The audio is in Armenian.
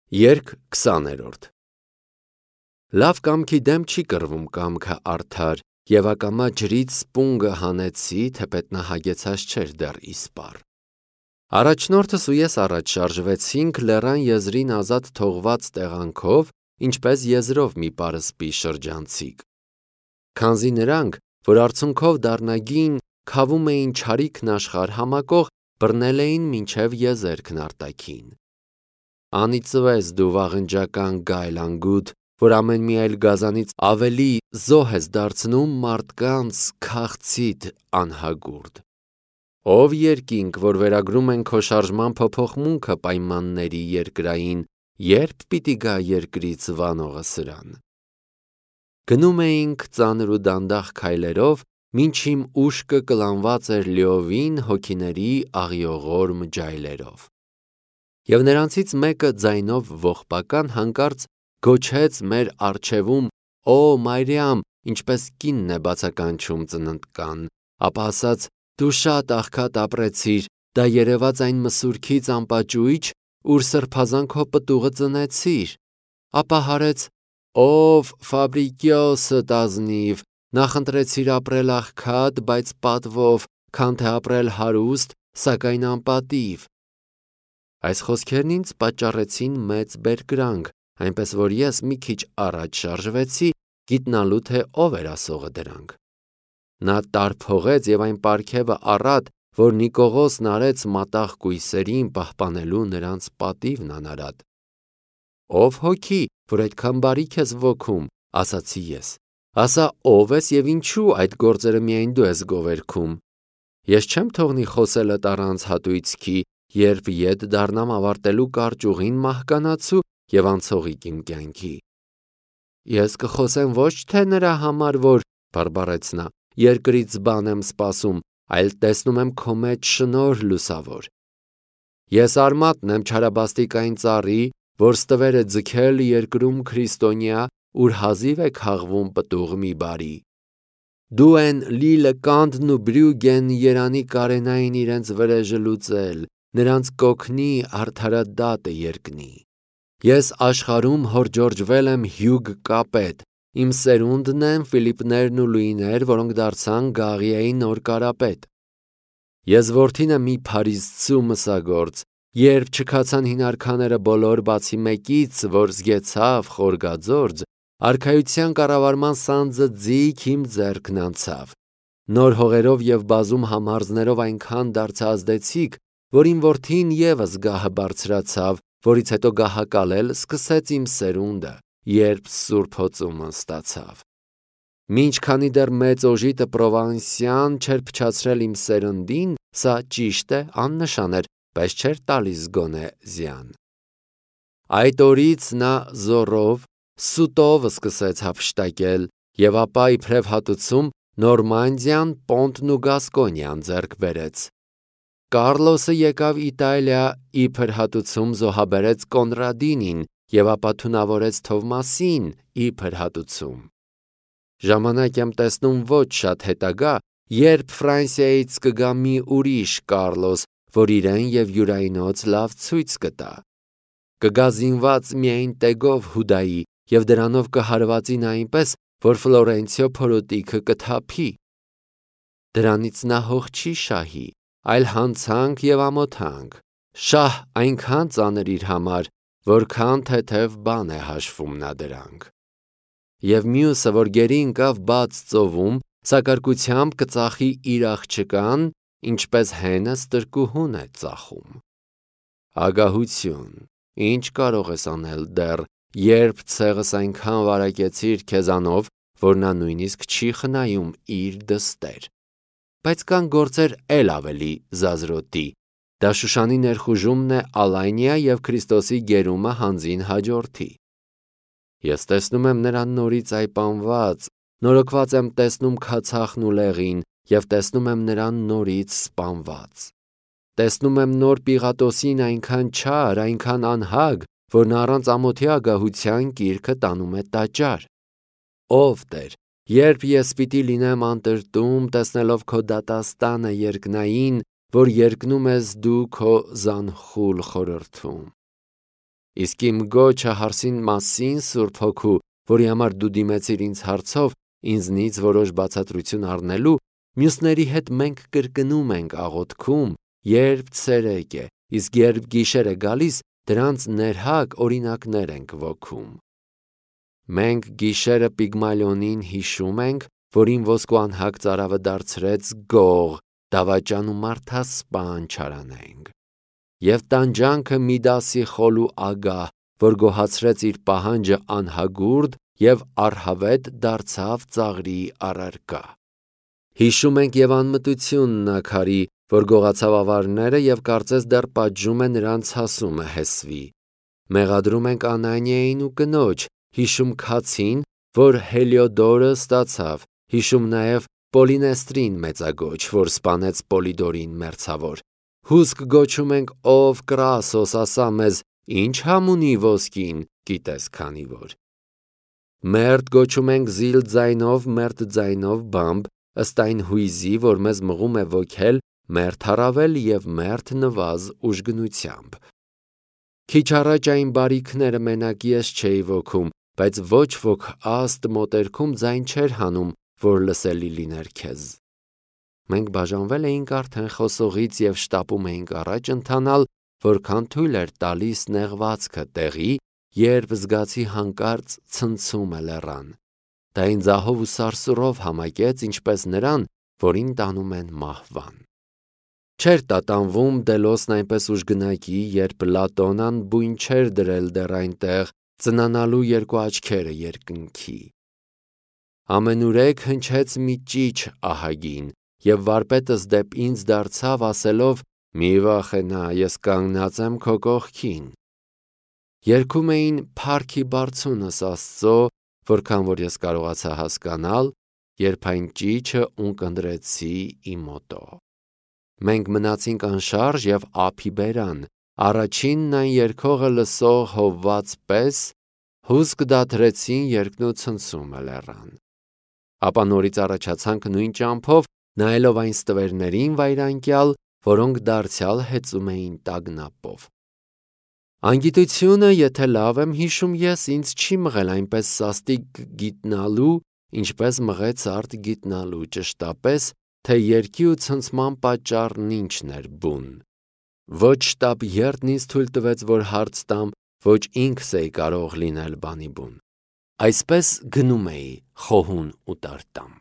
Երգ 20-րդ Լավ կամքի դեմ չի կռվում կամքը արդար, և ակամա ջրից սպունգը հանեցի, թեպետ նա հագեցած չէր դեռ իսպառ։ Առաջնորդս ու ես առաջ շարժվեցինք լեռան եզրին ազատ թողված տեղանքով, ինչպես եզրով մի պարսպի շրջանցիկ։ Քանզի նրանք, որ արցունքով դառնագին, քավում էին չարիքն աշխարհ համակող, բռնել էին մինչև եզերքն արտաքին։ Անիծվես դու վաղնջական գայլանգութ, որ ամեն մի այլ գազանից ավելի զոհ ես դարձնում մարդկանց քաղցիդ անհագուրդ։ Ով երկինք, որ վերագրում են քո շարժման փոփոխմունքը պայմանների երկրային, երբ պիտի գա երկրից վանողը սրան։ Գնում էինք ծանր ու դանդաղ քայլերով, մինչ իմ ուշքը կլանված էր լիովին հոգիների աղիողորմ ջայլերով։ Եվ նրանցից մեկը ձայնով ողբական հանկարծ գոչեց մեր առջևում. «Օ Մարիամ», ինչպես կինն է բացականչում ծննդկան, ապա ասաց. «Դու շատ աղքատ ապրեցիր, դա երևաց այն մսուրքից անպաճույճ, ուր սրբազան քո պտուղը ծնեցիր»։ Ապա հարեց. «Ով Ֆաբրիկիոսդ ազնիվ, նախընտրեցիր ապրել աղքատ, բայց պատվով, քան թե ապրել հարուստ, սակայն անպատիվ»։ Այս խոսքերն ինձ պատճառեցին մեծ բերկրանք, այնպես որ ես մի քիչ առաջ շարժվեցի, գիտնալու թե ով էր ասողը դրանք։ Նա տարփողեց և այն պարգևը առատ, որ Նիկողոսն արեց մատաղ կույսերին, պահպանելու նրանց պատիվն անարատ։ «Ով հոգի, որ այդքան բարիք ես ոգում», ասացի ես, ասա ով ես և ինչու այդ գործերը միայն դու ես գովերգում։ Ես չեմ թողնի խոսելդ առանց հատույցքի, երբ ետ դառնամ ավարտելու կարճ ուղին մահկանացու և անցողիկ իմ կյանքի։ Ես կխոսեմ ոչ թե նրա համար, որ, բարբառեց նա, երկրից բան եմ սպասում, այլ տեսնում եմ քո մեջ շնորհ լուսավոր։ Ես արմատն եմ չարաբաստիկ այն ծառի, որ ստվեր է ձգել երկրում քրիստոնյա, ուր հազիվ է քաղվում պտուղ մի բարի։ Դու են Լիլը Կանտն ու Բրյուգեն երանի կարենային իրենց վրեժը լուծել, նրանց կօգնի արդարադատը երկնի։ Ես աշխարհում հորջորջվել եմ հյուկ կապետ, իմ սերունդն են Ֆիլիպներն ու Լուիներ, որոնք դարձան Գաղիայի նոր կարապետ։ Ես որդին եմ մի փարիսցու մսագործ, երբ չքացան հին արքաները բոլոր բացի մեկից, որ զգեցավ խորգաձորձ, արքայության կառավարման սանձը ձիգ իմ ձեռքն անցավ։ Նոր հողերով և բազում համարզներով այնքան դարձա ազդեցիկ, որ իմ որդին ևս գահը բարձրացավ, որից հետո գահակալել սկսեց իմ սերունդը, երբ Սուրբ Հոծումը ստացավ։ Մինչ քանի դեռ մեծ օժիտը Պրովանսյան չէր փչացրել իմ սերնդին, սա ճիշտ է, աննշան էր, բայց չէր տալիս գոնե զյան։ Այդ օրից նա զոռով, սուտով սկսեց հափշտակել, և ապա իբրև հատուցում Նորմանդիան, Պոնտն ու Գասկոնիան ձեռք բերեց։ Կառլոսը եկավ Իտալիա, իբր հատուցում զոհաբերեց Կոնրադինին և ապա թունավորեց Թովմասին, իբր հատուցում։ Ժամանակ եմ տեսնում ոչ շատ հետագա, երբ Ֆրանսիայից կգա մի ուրիշ Կառլոս, որ իրեն և յուրայնոց լավ ցույց կտա։ Կգա զինված միայն տեգով Հուդայի և դրանով կհարվածի նա այնպես, որ Ֆլորենցիո փորոտիքը կթափի։ Դրանից նա հող չի շահի, այլ հանցանք և ամոթանք, շահ այնքան ծանր իր համար, որքան թեթև բան է հաշվում նա դրանք։ Եվ մյուսը, որ գերի ընկավ բաց ծովում, սակարկությամբ կծախի իր աղջկան, ինչպես հենը ստրկուհուն է ծախում։ Ագահություն, ինչ կարող ես անել դեռ, երբ ցեղս այնքան վարակեցիր քեզանով, որ նա նույնիսկ չի խնայում իր դստեր։ Բայց կան գործեր էլ ավելի զազրոտի։ Դա Շուշանի ներխուժումն է Ալայնիա և Քրիստոսի գերումը հանձին հաջորդի։ Ես տեսնում եմ նրան նորից այպանված, նորոգված եմ տեսնում քացախն ու լեղին և տեսնում եմ նրան նորից սպանված։ Տեսնում եմ նոր Պիղատոսին այնքան չար, այնքան անհագ, որ նա առանց ամոթի ագահության գիրքը տանում է տաճար։ Ով Տեր, երբ ես պիտի լինեմ անտրտում, տեսնելով քո դատաստանը երկնային, որ երկնում ես դու քո զանխուլ խորհրդում։ Իսկ իմ գոչը հարսին մասին Սուրբ Հոգու, որի համար դու դիմեցիր ինձ հարցով, ինձնից որոշ բացատրություն առնելու, մյուսների հետ մենք կրկնում ենք աղոթքում, երբ ցերեկ է, իսկ երբ գիշեր է գալիս, դրանց ներհակ օրինակներ ենք ոգում։ Մենք գիշերը Պիգմալիոնին հիշում ենք, որին ոսկու անհակ ծարավը դարձրեց գող, դավաճան ու մարդասպան չարանենք։ Եվ տանջանքը Միդասի խոլու ագահ, որ գոհացրեց իր պահանջը անհագուրդ և առհավետ դարձավ ծաղրի առարկա։ Հիշում ենք և անմտությունն Աքարի, որ գողացավ ավարները և կարծես դեռ պատժում է նրանց հասումը Հեսվի։ Մեղադրում ենք Անանիային ու կնոջ, հիշում Քացին, որ Հելիոդորը ստացավ, հիշում նաև Պոլինեստրին մեծագոչ, որ սպանեց Պոլիդորին մերձավոր։ Հուսք գոչում ենք, ով Կրասոս, ասա մեզ, ինչ համ ունի ոսկին, գիտես քանի որ։ Մերթ գոչում ենք զիլ ձայնով, մերթ ձայնով բամբ, ըստ այն հույզի, որ մեզ մղում է ոգել մերթ առավել և մերթ նվազ ուժգնությամբ։ Քիչ առաջ այն բարիքները մենակ ես չէի ոգում, բայց ոչ ոք աստ մոտերքում ձայն չէր հանում, որ լսելի լիներ քեզ։ Մենք բաժանվել էինք արդեն խոսողից և շտապում էինք առաջ ընթանալ, որքան թույլ էր տալիս նեղվածքը տեղի, երբ զգացի հանկարծ ցնցումը լեռան։ Դա ինձ ահով ու սարսուռով համակեց, ինչպես նրան, որին տանում են մահվան։ Չէր տատանվում Դելոսն այնպես ուժգնակի, երբ Լատոնան բույն չէր դրել դեռ այնտեղ, ծնանալու երկու աչքերը երկնքի։ Ամենուրեք հնչեց մի ճիչ ահագին, և վարպետս դեպ ինձ դարձավ, ասելով. «Մի վախենա, ես կանգնած եմ քո կողքին»։ Երգում էին «Փառքի բարձունս Աստծո», որքան որ ես կարողացա հասկանալ, երբ այն ճիչը ունկնդրեցի իմ օտո։ Մենք մնացինք անշարժ և ափի բերան, առաջինն այն երգողը լսող հովված պես, հուսք դադրեցին երգն ու ցնցումը լեռան։ Ապա նորից առաջացանք նույն ճամփով, նայելով այն ստվերներին վայրանկյալ, որոնք դարձյալ հեծում էին տագնապով։ Անգիտությունը, եթե լավ եմ հիշում ես, ինձ չի մղել այնպես սաստիկ գիտնալու, ինչպես մղեց արդ գիտնալու, ճշտապես, թե երգի ու ցնցման պատճառն ինչն էր բուն։ Ոչ շտապ երդն ինձ թույլ տվեց, որ հարց տամ, ոչ ինքս էի կարող լինել բանի բուն։ Այսպես գնում էի խոհուն ու տարտամ։